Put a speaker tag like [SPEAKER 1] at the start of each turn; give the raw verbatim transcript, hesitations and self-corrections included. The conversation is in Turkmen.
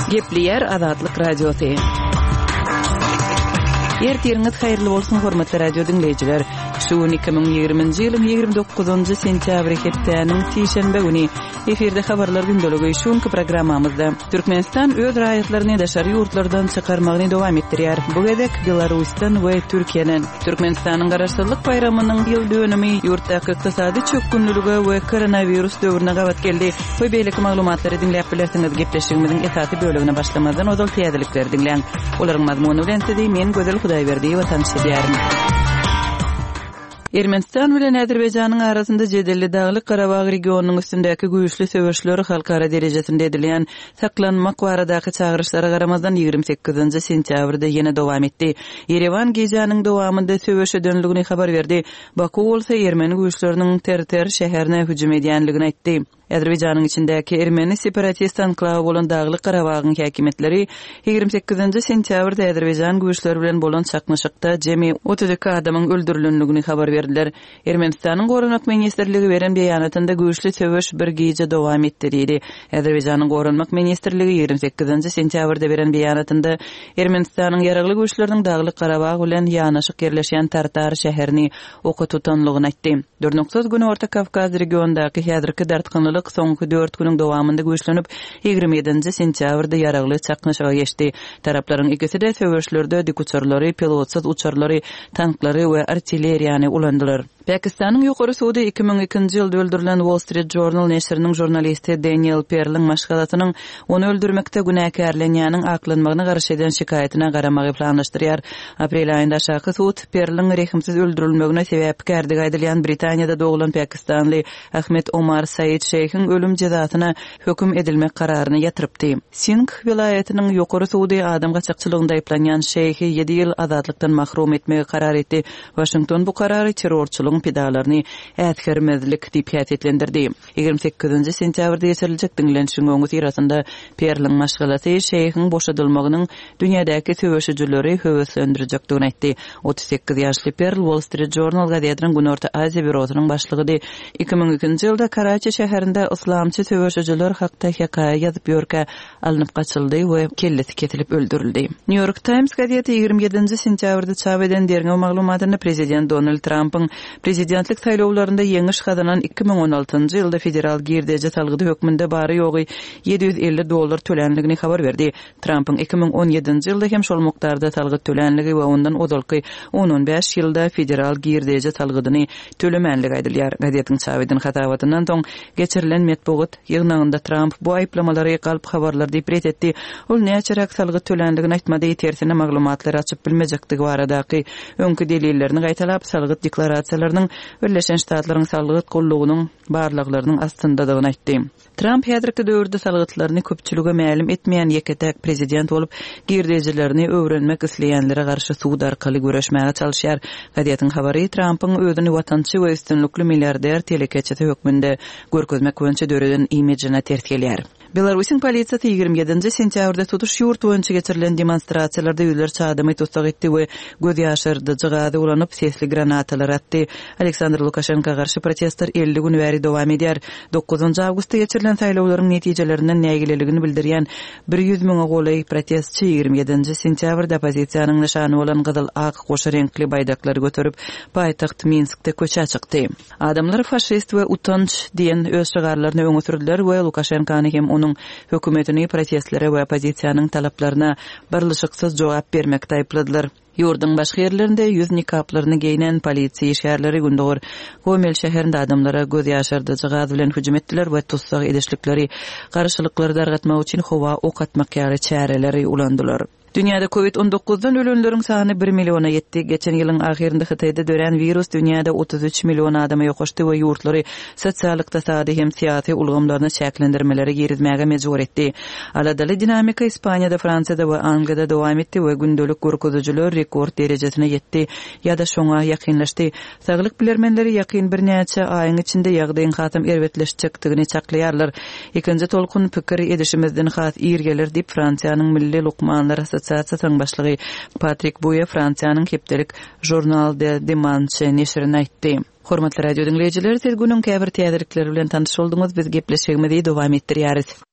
[SPEAKER 1] Gepleýär Azatlyk Radiosy. Ertiriňiz haýyrly bolsun, hormatly radio diňleýjiler. Şu gün iki müň ýigriminji ýylyň ýigrimi dokuzynjy sentýabry hepdäniň sişenbe güni. Efirde habarlar gündeligi. Şu günki programmamyzda Türkmenistan öz raýatlaryny daşary ýurtlardan çykarmagyny dowam etdirýär. Bu gezek Belarusdan we Türkiýeden. Türkmenistanyň Garaşsyzlyk baýramynyň ýyl dönümi ýurtdaky ykdysady çökgünlilige we koronawirus döwrüne gabat geldi. We beýleki maglumatlary diňläp bilersiňiz. Gepleşigimiziň esasy bölegine başlamazdan ozal täzelikleri diňläň. Olaryň mazmuny bilen sizi men Gözel Hudaýberdiýewa tanyş edýärin. Ermenistan bilen Azerbaýjanyň arasynda jedelli Daglyk Garabag regionynyň üstündäki güýçli söweşler halkara derejesinde edilýän saklanmak baradaky çagyryşlara garamazdan ýigrimi sekizinji sentýabrda ýene dowam etdi. Ýerewan gijäniň dowamynda söweş edenligini habar berdi. Baku bolsa ermeni güýçleriniň Terter şäherine hüjüm edýänligini aýtdy. Azerbaýjanyň içindäki ermeni separatist anklawy bolan Daglyk Garabagyň häkimiýetleri ýigrimi sekizinji sentýabrda Azerbaýjan güýçleri bilen bolan çaknyşykda jemi otuz iki adamyň öldürilendigini habar berdiler. Ermenistanyň Goranmak ministrligi beren beýanatynda güýçli söweş bir gije dowam etdi diýdi. Azerbaýjanyň Goranmak ministrligi ýigrimi sekizinji sentýabrda beren beýanatynda Ermenistanyň ýaragly güýçleriniň Daglyk Garabag bilen ýanaşyk ýerleşýän Tartar şäherini oka tutanlygyny aýtdy. Durnuksyz Günorta Kawkaz regiondaky häzirki dartgynlylyk soňky dört günüň dowamynda güýçlenip, ýigrimi ýedinji sentýabrda ýaragly çaknyşyga geçdi. Taraplaryň ikisi-de söweşlerde dikuçarlary, pilotsyz uçarlary, tanklary we artilleriýany ulandylar. Pakistanyň ýokary sudy iki müň ikinji ýylda öldürilen Wall Street Journal neşiriniň žurnalisti Daniel Perliň maşgalasynyň ony öldürmekde günäkärlenýäniň aklanmagyna garşy eden şikaýatyna garamagy planlaşdyrýar. Aprel aýynda aşaky sud Perliň rehimsiz öldürilmegine sebäpkärdigi aýdylýan Britaniýada doglan pakistanly Ahmet Omar Said Şeýhiň ölüm jezasyna höküm edilmek kararyny ýatyrypdy. Singh welaýatynyň ýokary sudy adam gaçakçylygynda aýyplanýan Şeýhi ýedi ýyl azatlykdan mahrum etmegi karar etdi. Waşington bu karary terrorçylygyň pidalaryny äsgermezlik diýip häsiýetlendirdi. Ýigrimi sekizinji sentýabrda geçiriljek diňlenişiň öňi syrasynda Perliň maşgalasy Şeýhiň boşadylmagynyň dünýädäki söweşijileri höweslendirjekdigini aýtdy. Otuz sekiz ýaşly Perl Wall Street Journal gazetiniň Günorta Aziýa bürosynyň başlygydy. Iki müň ikinji ýylda Karaçi şäherinde yslamçy söweşijiler hakda hekaýa ýazyp ýörkä alnyp gaçyldy we kellesi kesilip öldürildi. New York Times gazeti ýigrimi ýedinji sentýabrda çap eden derňew maglumatynda prezident Donald Trumpyň prezidentlik saýlawlarynda ýeňiş gazanan iki müň on altynjy ýylda federal girdeji salgydy hökmünde bary ýogy ýedi ýüz elli dollar tölänligini habar berdi. Trumpyň iki müň on ýedinji ýylda hem şol mukdarda salgyt tölänligi we ondan ozalky on on bäş ýylda federal girdeji salgydyny tölemänligi aýdylýar. Gazetiň çap eden hasabatyndan soň geçirilen metbugat ýygnagynda Trump bu aýyplamalary galp habarlar diýip ret etdi. Ol näçeräk salgyt tölänligini aýtmady, tersine maglumatlary açyp bilmejekdigi baradaky öňki delillerini gaýtalap, salgyt deklarasiýalarynyň Birleşen Ştatlaryň salgyt gullugynyň barlaglarynyň astyndadygyny aýtdy. Trump häzirki döwürde salgytlaryny köpçülige mälim etmeýän ýeke-täk prezident bolup, girdejilerini öwrenmek isleýänlere garşy sud arkaly göreşmäge çalyşýar. Gazetiň habary Trumpyň özüni watançy we üstünlikli milliarder telekeçisi hökmünde görkezmek boýunça döreden imijine ters gelýär. Belarusyň polisiýasy ýigrimi ýedinji sentýabrda tutuş ýurt boýunça geçirilen demonstrasiýalarda ýüzlerçe adamy tussag etdi we göz ýaşardyjy gazy ulanyp sesli granatalar atdy. Aleksandr Lukaşenko garşy protestler elli gün bäri dowam edýär. Dokuzynjy awgustda geçirilen saýlawlaryň netijelerinden nägileligini bildirýän bir ýüz müňe golaý protestçi ýigrimi ýedinji sentýabrda oppozisiýanyň nyşany bolan gyzyl-ak goşa reňkli baýdaklary göterip paýtagt Minskde köçä çykdy. Adamlar faşist we utanç diýen öz şygarlaryny öňe sürdüler we Lukaşenkony hem onuň hökümetini protestlere we oppozisiýanyň talaplaryna barlyşyksyz jogap bermekde aýypladylar. Ýurduň başga ýerlerinde ýüz nikaplaryny geýnen polisiýa işgärleri Gündogar Gomel şäherinde adamlara göz ýaşardyjy gaz bilen hüjüm etdiler we tussag edişlikleri, garşylyklary dargatmak üçin howa ok atmak ýaly çäreleri ulandylar. Dünýäde COVID on dokuzdan ölenleriň sany bir milliona ýetdi. Geçen ýylyň ahyrynda Hytaýda dörän wirus dünýäde otuz üç million adama ýokaşdy we ýurtlary sosial, ykdysady hem syýasy ulgamlaryna çäklendirmeleri girizmäge mejbur etdi. Aladaly dinamika Ispaniýada, Fransiýada we Angliýada dowam etdi we gündelik görkezijiler rekord derejesine ýetdi ýa-da şoňa ýakynlaşdy. Saglyk bilermenleri ýakyn birnäçe aýyň içinde ýagdaýyň hasam erbetleşjekdigini çaklaýarlar. Ikinji tolkun pikir edişimizden has ir geler diýip Fransiýanyň Milli Lukmanlar Assosiasiýasynyň başlygy Patrik Buýe Fransiýanyň hepdelik Journal de Dimanche neşirine aýtdy. Hormatly radio diňleýjiler, siz günüň käbir täzelikleri bilen tanyş bolduňyz. Biz gepleşigimizi dowam etdirýäris.